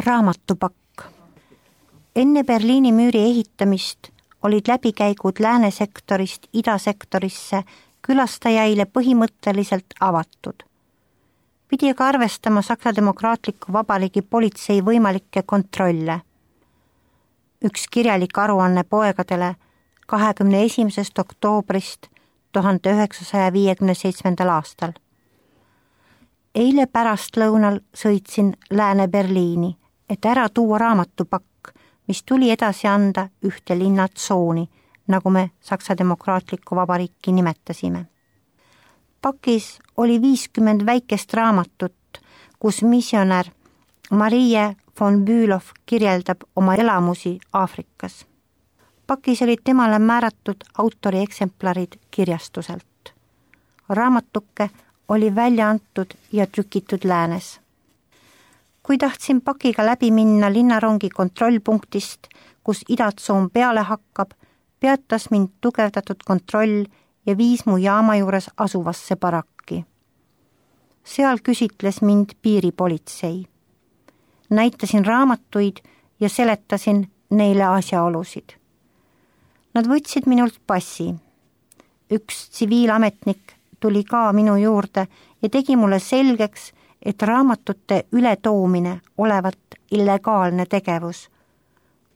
Raamatupakk. Enne Berliini müüri ehitamist olid läbikäigud läänesektorist idasektorisse külastajaile põhimõtteliselt avatud. Pidi aga arvestama Saksa Demokraatliku Vabariigi politsei võimalikke kontrolle. Üks kirjalik aruanne poegadele 21. oktoobrist 1957. aastal. Eile pärastlõunal sõitsin Lääne-Berliini, et ära tuua raamatupakk, mis tuli edasi anda ühte linnatsooni, nagu me Saksa Demokraatlikku Vabariiki nimetasime. Pakis oli 50 väikest raamatut, kus missionär Marie von Bülow kirjeldab oma elamusi Aafrikas. Pakis olid temale määratud autori eksemplarid kirjastuselt. Raamatuke oli välja antud ja trükitud läänes. Kui tahtsin pakiga läbi minna linnarongi kontrollpunktist, kus idatsoon peale hakkab, peatas mind tugevdatud kontroll ja viis mu jaama juures asuvasse barakki. Seal küsitles mind piiripolitsei. Näitasin raamatuid ja seletasin neile asjaolusid. Nad võtsid minult passi. Üks tsiviilametnik tuli ka minu juurde ja tegi mulle selgeks, et raamatute ületoomine olevat illegaalne tegevus.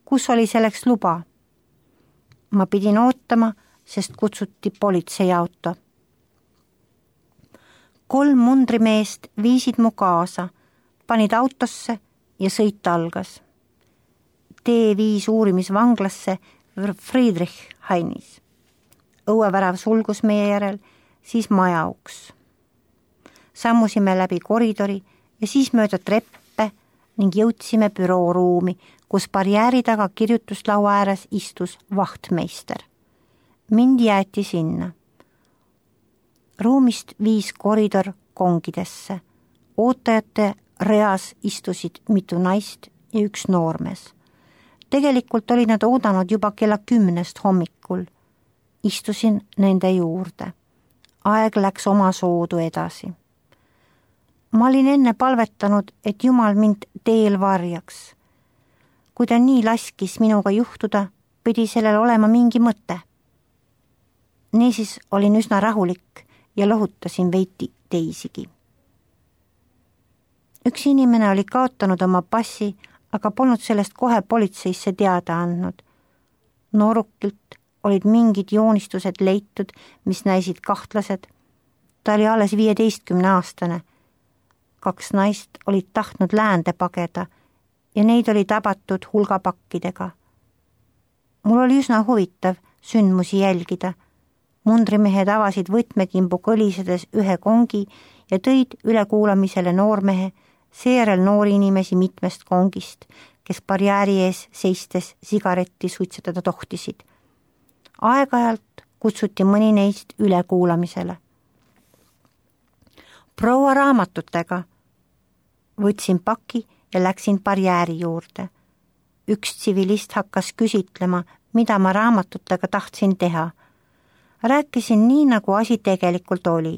Kus oli selleks luba? Ma pidin ootama, sest kutsuti politseiauto. 3 mundrimeest viisid mu kaasa, panid autosse ja sõit algas. Tee viis uurimisvanglasse Friedrichhainis. Õuevärav sulgus meie järel, siis maja uks. Sammusime läbi koridori ja siis mööda treppe ning jõudsime bürooruumi, kus barjääri taga kirjutuslaua ääres istus vahtmeister. Mind jäeti sinna. Ruumist viis koridor kongidesse. Ootajate reas istusid mitu naist ja üks noormees. Tegelikult olid nad oodanud juba kella 10 hommikul. Istusin nende juurde. Aeg läks oma soodu edasi. Ma olin enne palvetanud, et Jumal mind teel varjaks. Kui ta nii laskis minuga juhtuda, pidi sellel olema mingi mõte. Niisiis olin üsna rahulik ja lohutasin veidi teisigi. Üks inimene oli kaotanud oma passi, aga polnud sellest kohe politseisse teada andnud. Noorukilt olid mingid joonistused leitud, mis näisid kahtlased. Ta oli alles 15-aastane. 2 naist olid tahtnud läände pageda ja neid oli tabatud hulgapakkidega. Mul oli üsna huvitav sündmusi jälgida. Mundrimehed avasid võtmekimbu kõlisedes ühe kongi ja tõid ülekuulamisele noormehe, seejärel noori inimesi mitmest kongist, kes barjääri ees seistes sigaretti suitsetada tohtisid. Aeg-ajalt kutsuti mõni neist ülekuulamisele. Proua raamatutega. Võtsin paki ja läksin barjääri juurde. Üks tsivilist hakkas küsitlema, mida ma raamatutega tahtsin teha. Rääkisin nii, nagu asi tegelikult oli.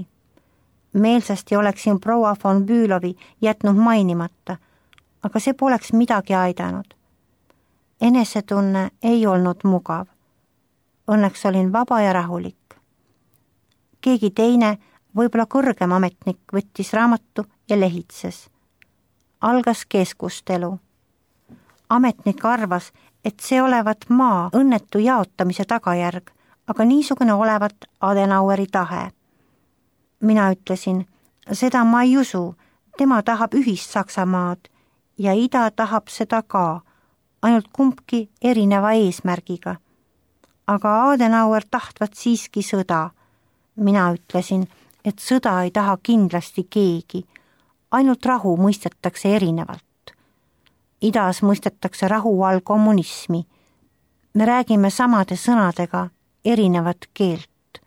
Meelsasti oleksin proua von Bülowi jätnud mainimata, aga see poleks midagi aidanud. Enesetunne ei olnud mugav. Õnneks olin vaba ja rahulik. Keegi teine, võib-olla kõrgem ametnik, võttis raamatu ja lehitses. Algas keskustelu. Ametnik arvas, et see olevat maa õnnetu jaotamise tagajärg, aga niisugune olevat Adenaueri tahe. Mina ütlesin, seda ma ei usu, tema tahab ühist Saksamaad ja ida tahab seda ka, ainult kumbki erineva eesmärgiga. Aga Adenauer tahtvat siiski sõda. Mina ütlesin, et sõda ei taha kindlasti keegi, ainult rahu mõistetakse erinevalt. Idas mõistetakse rahu all kommunismi. Me räägime samade sõnadega erinevat keelt.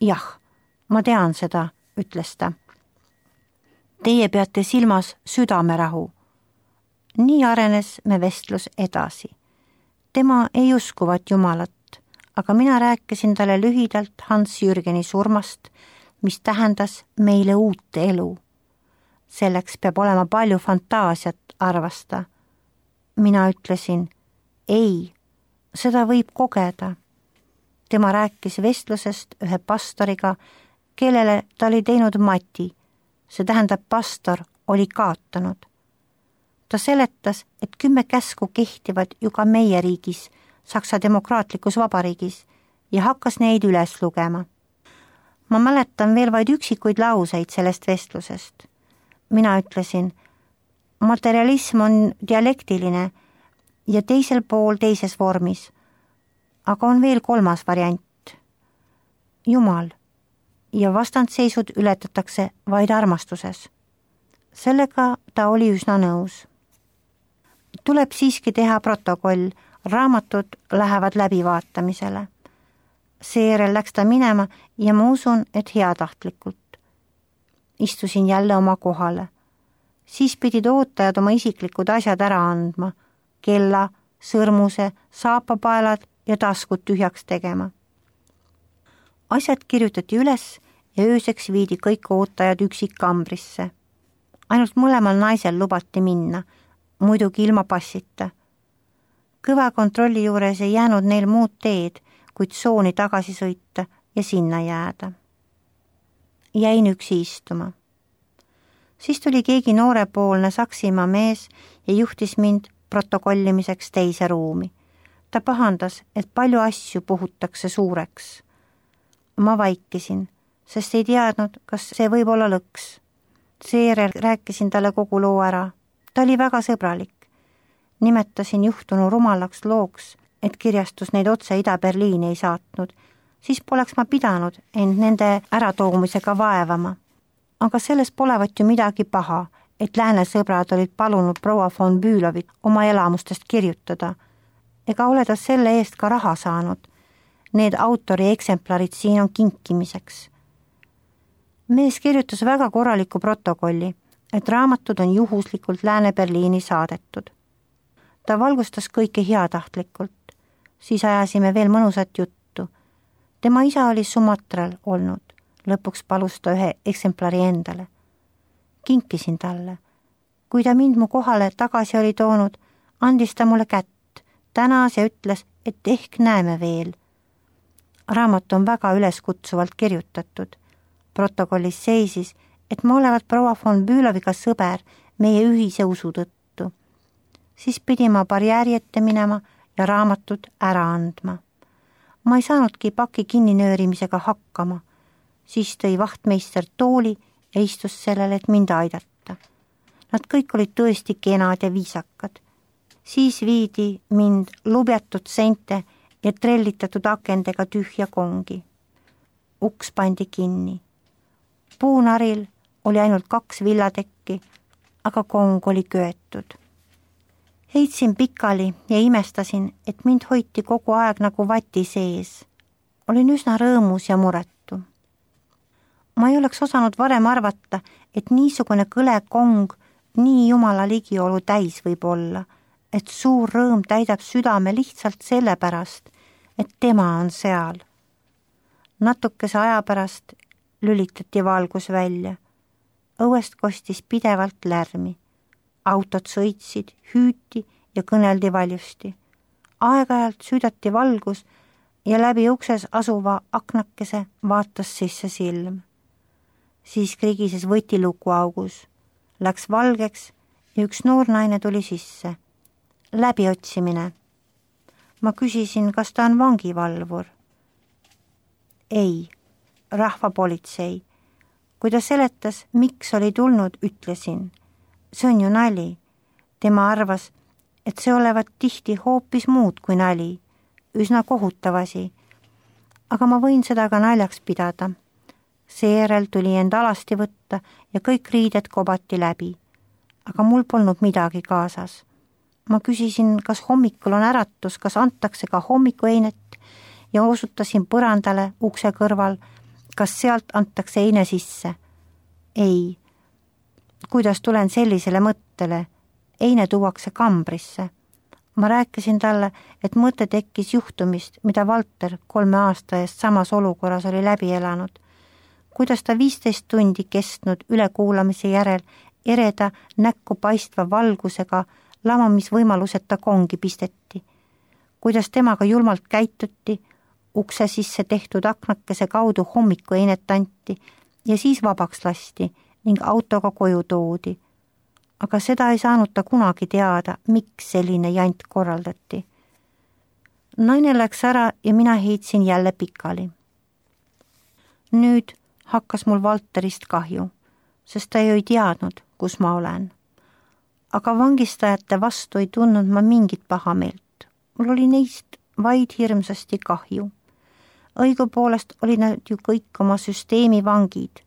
Jah, ma tean seda, ütles ta. Teie peate silmas südamerahu. Nii arenes me vestlus edasi. Tema ei uskuvat Jumalat, aga mina rääkisin talle lühidalt Hans Jürgeni surmast, mis tähendas meile uut elu. Selleks peab olema palju fantaasiat, arvas ta. Mina ütlesin, ei, seda võib kogeda. Tema rääkis vestlusest ühe pastoriga, kellele ta oli teinud mati. See tähendab, pastor oli kaotanud. Ta seletas, et 10 käsku kehtivad ju ka meie riigis, Saksa demokraatlikus vabariigis, ja hakkas neid üles lugema. Ma mäletan veel vaid üksikuid lauseid sellest vestlusest. Mina ütlesin, materialism on dialektiline ja teisel pool teises vormis, aga on veel 3. variant. Jumal ja vastandseisud ületatakse vaid armastuses. Sellega ta oli üsna nõus. Tuleb siiski teha protokoll, raamatud lähevad läbivaatamisele. Seejärel läks ta minema ja ma usun, et heatahtlikult. Istusin jälle oma kohale. Siis pidid ootajad oma isiklikud asjad ära andma, kella, sõrmuse, saapapaelad ja taskud tühjaks tegema. Asjad kirjutati üles ja ööseks viidi kõik ootajad üksikkambrisse. Ainult mõlemal naisel lubati minna, muidugi ilma passita. Kõva kontrolli juures ei jäänud neil muud teed, kuid sooni tagasi sõita ja sinna jääda. Jäin üksi istuma. Siis tuli keegi noorepoolne Saksimaa mees ja juhtis mind protokollimiseks teise ruumi. Ta pahandas, et palju asju puhutakse suureks. Ma vaikisin, sest ei teadnud, kas see võib olla lõks. Seejärel rääkisin talle kogu loo ära. Ta oli väga sõbralik. Nimetasin juhtunu rumalaks looks, et kirjastus neid otse Ida-Berliini ei saatnud. Siis poleks ma pidanud end nende äratoomisega vaevama. Aga selles polevat ju midagi paha, et lääne sõbrad olid palunud proua von Bülovit oma elamustest kirjutada. Ega ole ta selle eest ka raha saanud. Need autori eksemplarid siin on kinkimiseks. Mees kirjutas väga korraliku protokolli, et raamatud on juhuslikult Lääne-Berliini saadetud. Ta valgustas kõike heatahtlikult. Siis ajasime veel mõnusat juttu. Tema isa oli Sumatral olnud. Lõpuks palus ta ühe eksemplari endale. Kinkisin talle. Kui ta mind mu kohale tagasi oli toonud, andis ta mulle kätt, tänas ja ütles, et ehk näeme veel. Raamat on väga üleskutsuvalt kirjutatud. Protokollis seisis, et ma olevat proua von Büloviga sõber meie ühise usu tõttu. Siis pidi ma barjääri ette minema ja raamatud ära andma. Ma ei saanudki paki kinninöörimisega hakkama. Siis tõi vahtmeister tooli ja istus sellele, et mind aidata. Nad kõik olid tõesti kenad ja viisakad. Siis viidi mind lubjatud seinte ja trellitatud akendega tühja kongi. Uks pandi kinni. Puunaril oli ainult 2 villatekki, aga kong oli köetud. Heitsin pikali ja imestasin, et mind hoiti kogu aeg nagu vati sees. Olin üsna rõõmus ja muretu. Ma ei oleks osanud varem arvata, et niisugune kõle kong nii jumala ligiolu täis võib olla, et suur rõõm täidab südame lihtsalt sellepärast, et tema on seal. Natukese aja pärast lülitati valgus välja. Õuest kostis pidevalt lärmi. Autod sõitsid, hüüti ja kõneldi valjusti. Aeg-ajalt süüdati valgus ja läbi ukses asuva aknakese vaatas sisse silm. Siis krigises võtiluku augus. Läks valgeks ja üks noor naine tuli sisse. Läbiotsimine. Ma küsisin, kas ta on vangivalvur. Ei, rahvapolitsei. Kui ta seletas, miks oli tulnud, ütlesin. See on ju nali. Tema arvas, et see olevat tihti hoopis muud kui nali. Üsna kohutavasi. Aga ma võin seda ka naljaks pidada. Seejärel tuli end alasti võtta ja kõik riided kobati läbi. Aga mul polnud midagi kaasas. Ma küsisin, kas hommikul on äratus, kas antakse ka hommikueinet ja osutasin põrandale ukse kõrval, kas sealt antakse eine sisse. Ei. Kuidas tulen sellisele mõttele? Eine tuuakse kambrisse. Ma rääkisin talle, et mõte tekkis juhtumist, mida Valter 3 aasta eest samas olukorras oli läbi elanud. Kuidas ta 15 tundi kestnud ülekuulamise järel ereda näkku paistva valgusega lamamisvõimaluseta kongi pisteti. Kuidas temaga julmalt käituti, ukse sisse tehtud aknakese kaudu hommikueinet anti ja siis vabaks lasti ning autoga koju toodi. Aga seda ei saanud ta kunagi teada, miks selline jant korraldati. Naine läks ära ja mina heitsin jälle pikali. Nüüd hakkas mul Valterist kahju, sest ta ju ei teadnud, kus ma olen. Aga vangistajate vastu ei tundnud ma mingit pahameelt. Mul oli neist vaid hirmsasti kahju. Õigupoolest olid nad ju kõik oma süsteemi vangid,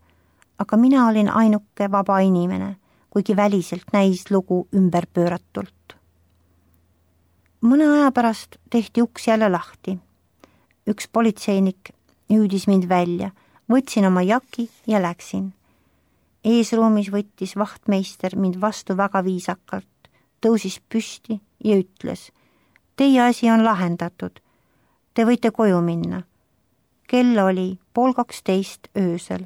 aga mina olin ainuke vaba inimene, kuigi väliselt näis lugu ümberpööratult. Mõne aja pärast tehti uks jälle lahti. Üks politseinik hüüdis mind välja, võtsin oma jaki ja läksin. Eesruumis võttis vahtmeister mind vastu väga viisakalt, tõusis püsti ja ütles: teie asi on lahendatud, te võite koju minna. Kell oli 11:30 öösel.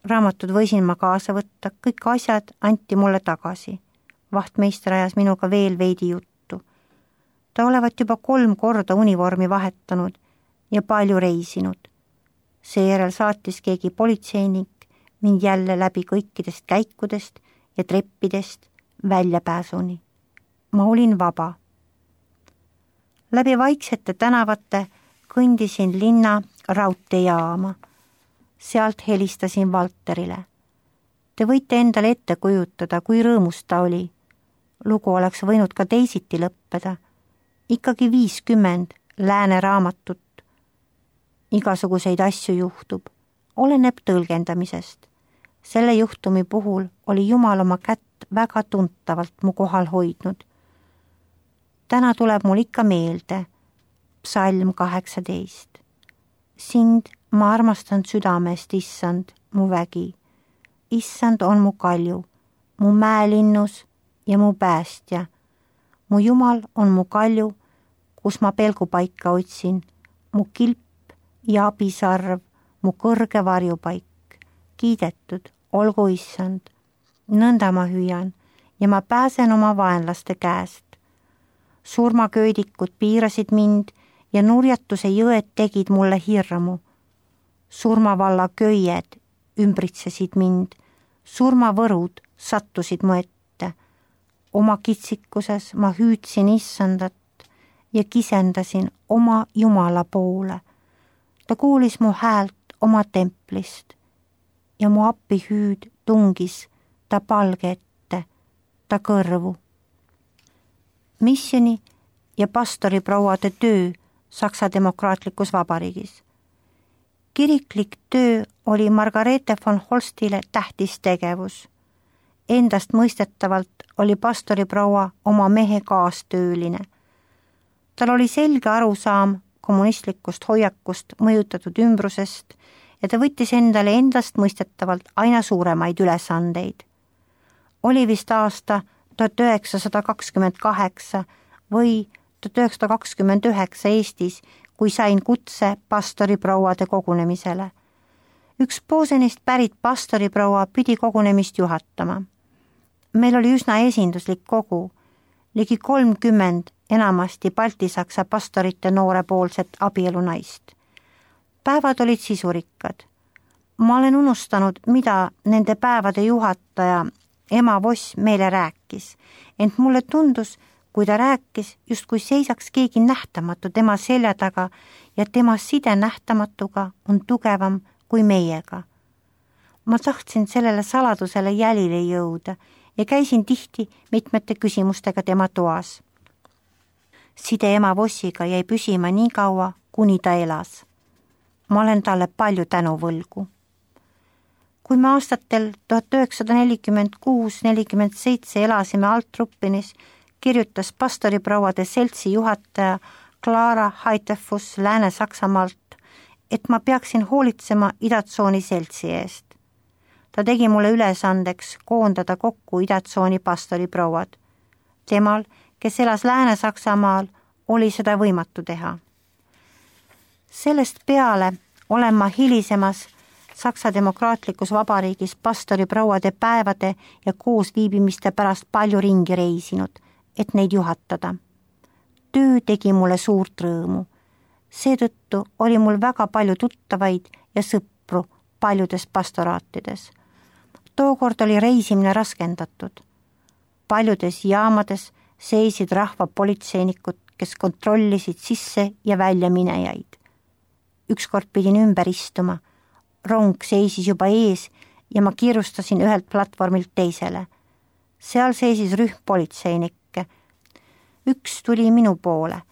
Raamatud võisin ma kaasa võtta, kõik asjad anti mulle tagasi. Vahtmeister ajas minuga veel veidi juttu. Ta olevat juba 3 korda univormi vahetanud ja palju reisinud. Seejärel saatis keegi politseinik mind jälle läbi kõikidest käikudest ja treppidest väljapääsuni. Ma olin vaba. Läbi vaiksete tänavate kõndisin linna raudteejaama. Sealt helistasin Valterile. Te võite endale ette kujutada, kui rõõmus ta oli. Lugu oleks võinud ka teisiti lõppeda. Ikkagi 50 lääne raamatut. Igasuguseid asju juhtub. Oleneb tõlgendamisest. Selle juhtumi puhul oli Jumal oma kätt väga tuntavalt mu kohal hoidnud. Täna tuleb mul ikka meelde Psalm 18. Sind ma armastan südamest, issand, mu vägi. Issand on mu kalju, mu mäelinnus ja mu päästja. Mu Jumal on mu kalju, kus ma pelgupaika otsin, mu kilp ja abisarv, mu kõrge varjupaik. Kiidetud, olgu issand. Nõnda ma hüüan ja ma pääsen oma vaenlaste käest. Surmaköödikud piirasid mind ja nurjatuse jõed tegid mulle hirmu. Surmavalla köied ümbritsesid mind, surmavõrud sattusid mu ette. Oma kitsikuses ma hüüdsin issandat ja kisendasin oma Jumala poole. Ta kuulis mu häält oma templist ja mu appihüüd tungis ta palge ette, ta kõrvu. Missioni ja pastoriprouade töö Saksa Demokraatlikus Vabariigis. Kiriklik töö oli Margareete von Holstile tähtis tegevus. Endast mõistetavalt oli pastoriproua oma mehe kaastööline. Tal oli selge arusaam kommunistlikust hoiakust mõjutatud ümbrusest ja ta võttis endale endast mõistetavalt aina suuremaid ülesandeid. Oli vist aasta 1928 või 1929 Eestis, kui sain kutse pastoriprouade kogunemisele. Üks Posenist pärit pastoriproua pidi kogunemist juhatama. Meil oli üsna esinduslik kogu, ligi 30 enamasti Balti-Saksa pastorite noorepoolset abielunaist. Päevad olid sisurikkad. Ma olen unustanud, mida nende päevade juhataja ema Voss meile rääkis, ent mulle tundus, kui ta rääkis, justkui seisaks keegi nähtamatu tema selja taga ja tema side nähtamatuga on tugevam kui meiega. Ma tahtsin sellele saladusele jälile jõuda ja käisin tihti mitmete küsimustega tema toas. Side ema Vossiga jäi püsima nii kaua, kuni ta elas. Ma olen talle palju tänuvõlgu. Kui me aastatel 1946-47 elasime Altruppinis, kirjutas pastoriprouade seltsi juhataja Clara Heitefus Lääne-Saksamaalt, et ma peaksin hoolitsema idatsooni seltsi eest. Ta tegi mulle ülesandeks koondada kokku idatsooni pastoriprouad. Temal, kes elas Lääne-Saksamaal, oli seda võimatu teha. Sellest peale olen ma hilisemas Saksa Demokraatlikus Vabariigis pastoriprouade päevade ja koosviibimiste pärast palju ringi reisinud, et neid juhatada. Töö tegi mulle suurt rõõmu. Seetõttu oli mul väga palju tuttavaid ja sõpru paljudes pastoraatides. Tookord oli reisimine raskendatud. Paljudes jaamades seisid rahvapolitseinikud, kes kontrollisid sisse ja välja minejaid. Ükskord pidin ümber istuma. Rong seisis juba ees ja ma kiirustasin ühelt platvormilt teisele. Seal seisis rühm politseinikke. Üks tuli minu poole,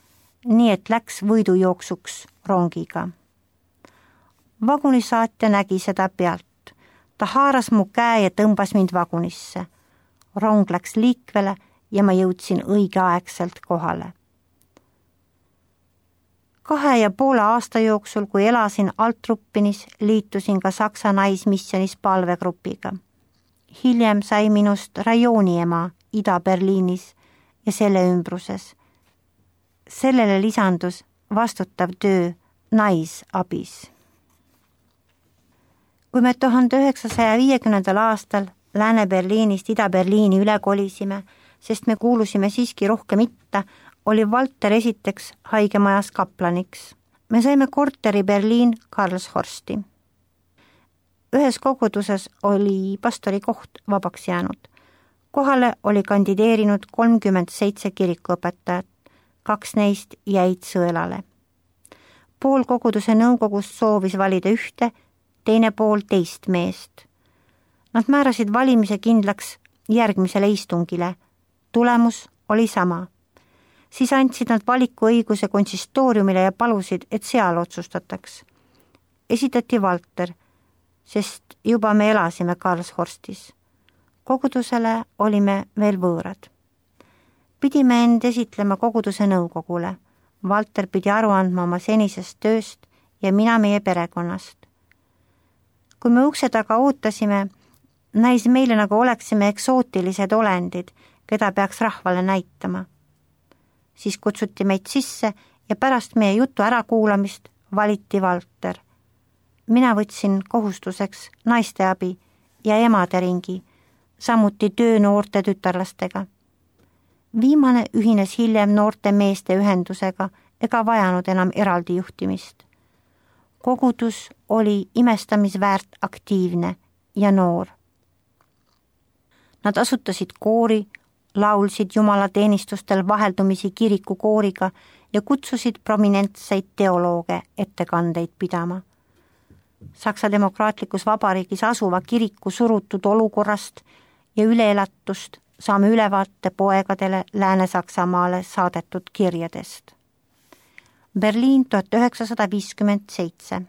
nii et läks võidujooksuks rongiga. Vagunisaatja nägi seda pealt. Ta haaras mu käe ja tõmbas mind vagunisse. Rong läks liikvele ja ma jõudsin õigeaegselt kohale. 2,5 aasta jooksul, kui elasin Altruppinis, liitusin ka Saksa naismissionis palvegrupiga. Hiljem sai minust rajooniema Ida-Berliinis ja selle ümbruses. Sellele lisandus vastutav töö naisabis. Kui me 1950. aastal Lääne-Berliinist Ida-Berliini üle kolisime, sest me kuulusime siiski rohkem itta, oli Valter esiteks haigemajas kaplaniks. Me saime korteri Berliin Karlshorsti. Ühes koguduses oli pastori koht vabaks jäänud. Kohale oli kandideerinud 37 kirikuõpetajat, 2 neist jäid sõelale. Pool koguduse nõukogust soovis valida ühte, teine pool teist meest. Nad määrasid valimise kindlaks järgmisele istungile. Tulemus oli sama. Siis andsid nad valikuõiguse konsistooriumile ja palusid, et seal otsustataks. Esitati Valter, sest juba me elasime Karlshorstis. Kogudusele olime veel võõrad. Pidime end esitlema koguduse nõukogule. Valter pidi aru andma oma senisest tööst ja mina meie perekonnast. Kui me ukse taga ootasime, näis meile nagu oleksime eksootilised olendid, keda peaks rahvale näitama. Siis kutsuti meid sisse ja pärast meie jutu ärakuulamist valiti Valter. Mina võtsin kohustuseks naisteabi ja emaderingi, samuti töö noorte tütarlastega. Viimane ühines hiljem noorte meeste ühendusega ega vajanud enam eraldi juhtimist. Kogudus oli imestamisväärt aktiivne ja noor. Nad asutasid koori, laulsid jumalateenistustel vaheldumisi kirikukooriga ja kutsusid prominentseid teolooge ettekandeid pidama. Saksa Demokraatlikus Vabariigis asuva kiriku surutud olukorrast ja üleelatust saame ülevaate poegadele Lääne-Saksamaale saadetud kirjadest. Berliin 1957.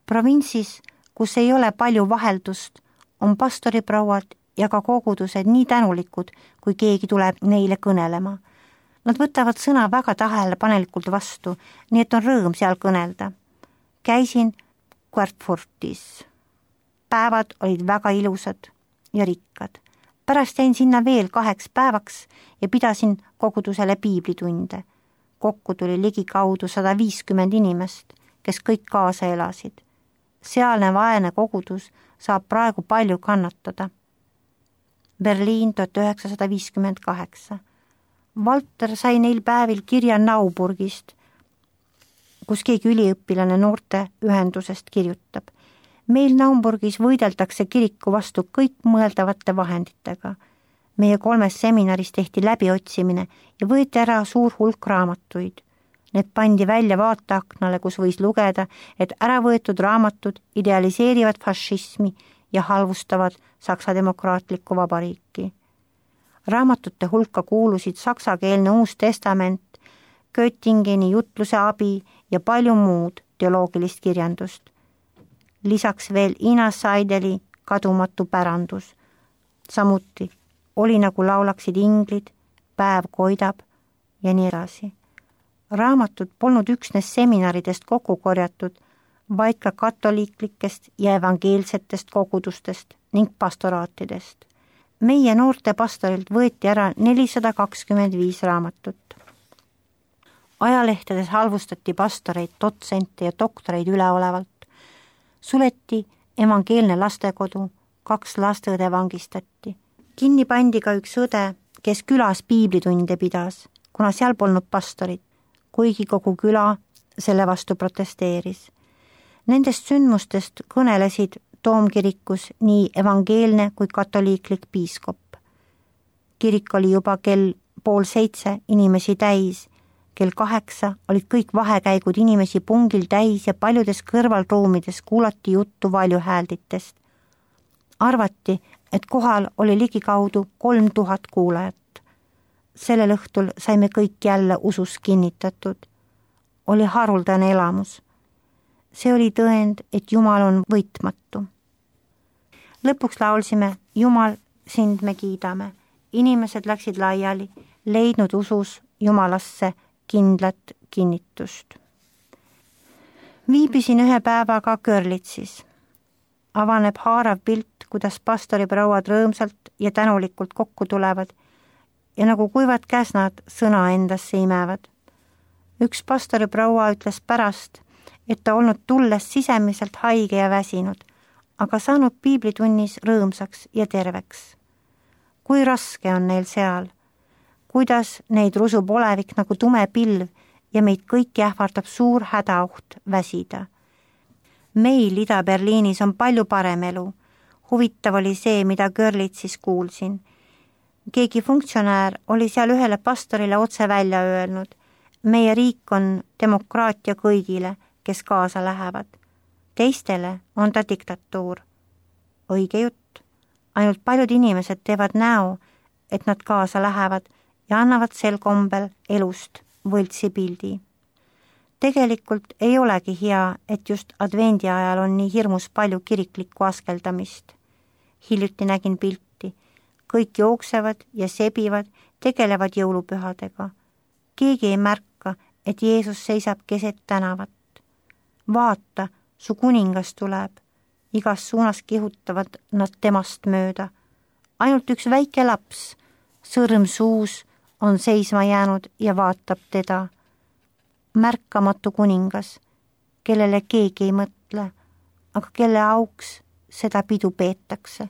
Provintsis, kus ei ole palju vaheldust, on pastoriprouad ja ka kogudused nii tänulikud, kui keegi tuleb neile kõnelema. Nad võtavad sõna väga tähelepanelikult vastu, nii et on rõõm seal kõnelda. Käisin Querfurtis. Päevad olid väga ilusad ja rikkad. Pärast jäin sinna veel 2 päevaks ja pidasin kogudusele piiblitunde. Kokku tuli ligikaudu 150 inimest, kes kõik kaasa elasid. Sealne vaene kogudus saab praegu palju kannatada. Berliin 1958. Valter sai neil päevil kirja Nauburgist, kus keegi üliõpilane noorte ühendusest kirjutab. Meil Naumburgis võideldakse kiriku vastu kõik mõeldavate vahenditega. Meie 3 seminaris tehti läbiotsimine ja võeti ära suur hulk raamatuid. Need pandi välja vaateaknale, kus võis lugeda, et äravõetud raamatud idealiseerivad fašismi ja halvustavad Saksa Demokraatlikku Vabariiki. Raamatute hulka kuulusid saksakeelne Uus Testament, Göttingeni jutluse abi ja palju muud teoloogilist kirjandust. Lisaks veel Ina Seideli Kadumatu pärandus. Samuti Oli nagu laulaksid inglid, Päev koidab ja nii edasi. Raamatud polnud üksnes seminaridest kokku korjatud, vaid ka katoliiklikest ja evangeelsetest kogudustest ning pastoraatidest. Meie noorte pastorilt võeti ära 425 raamatut. Ajalehtedes halvustati pastoreid, dotsente ja doktoreid üleolevalt. Suleti evangeelne lastekodu, 2 lasteõde vangistati. Kinni pandi ka üks õde, kes külas piiblitunde pidas, kuna seal polnud pastorit, kuigi kogu küla selle vastu protesteeris. Nendest sündmustest kõnelesid Toomkirikus nii evangeelne kui katoliiklik piiskop. Kirik oli juba kell 6:30 inimesi täis, kell 8 olid kõik vahekäigud inimesi pungil täis ja paljudes kõrvalruumides kuulati juttu valjuhäälditest. Arvati, et kohal oli ligikaudu 3000 kuulajat. Sellel õhtul saime kõik jälle usus kinnitatud. Oli haruldane elamus. See oli tõend, et Jumal on võitmatu. Lõpuks laulsime Jumal, sind me kiidame. Inimesed läksid laiali, leidnud usus Jumalasse kindlat kinnitust. Viibisin ühe päevaga Görlitsis. Avaneb haarav pilt, kuidas pastoriprouad rõõmsalt ja tänulikult kokku tulevad ja nagu kuivad käsnad sõna endasse imevad. Üks pastoriproua ütles pärast, et ta olnud tulles sisemiselt haige ja väsinud, aga saanud piiblitunnis rõõmsaks ja terveks. Kui raske on neil seal, kuidas neid rusub olevik nagu tume pilv ja meid kõiki ähvardab suur hädaoht väsida. Meil Ida-Berliinis on palju parem elu. Huvitav oli see, mida Görlitsis kuulsin. Keegi funktsionäär oli seal ühele pastorile otse välja öelnud. Meie riik on demokraatia kõigile, kes kaasa lähevad. Teistele on ta diktatuur. Õige jutt. Ainult paljud inimesed teevad näo, et nad kaasa lähevad ja annavad sel kombel elust võltsi pildi. Tegelikult ei olegi hea, et just advendi ajal on nii hirmus palju kiriklikku askeldamist. Hiljuti nägin pilti. Kõik jooksevad ja sebivad, tegelevad jõulupühadega. Keegi ei märka, et Jeesus seisab keset tänavat. Vaata, su kuningas tuleb. Igas suunas kihutavad nad temast mööda. Ainult üks väike laps, sõrm suus, on seisma jäänud ja vaatab teda. Märkamatu kuningas, kellele keegi ei mõtle, aga kelle auks seda pidu peetakse.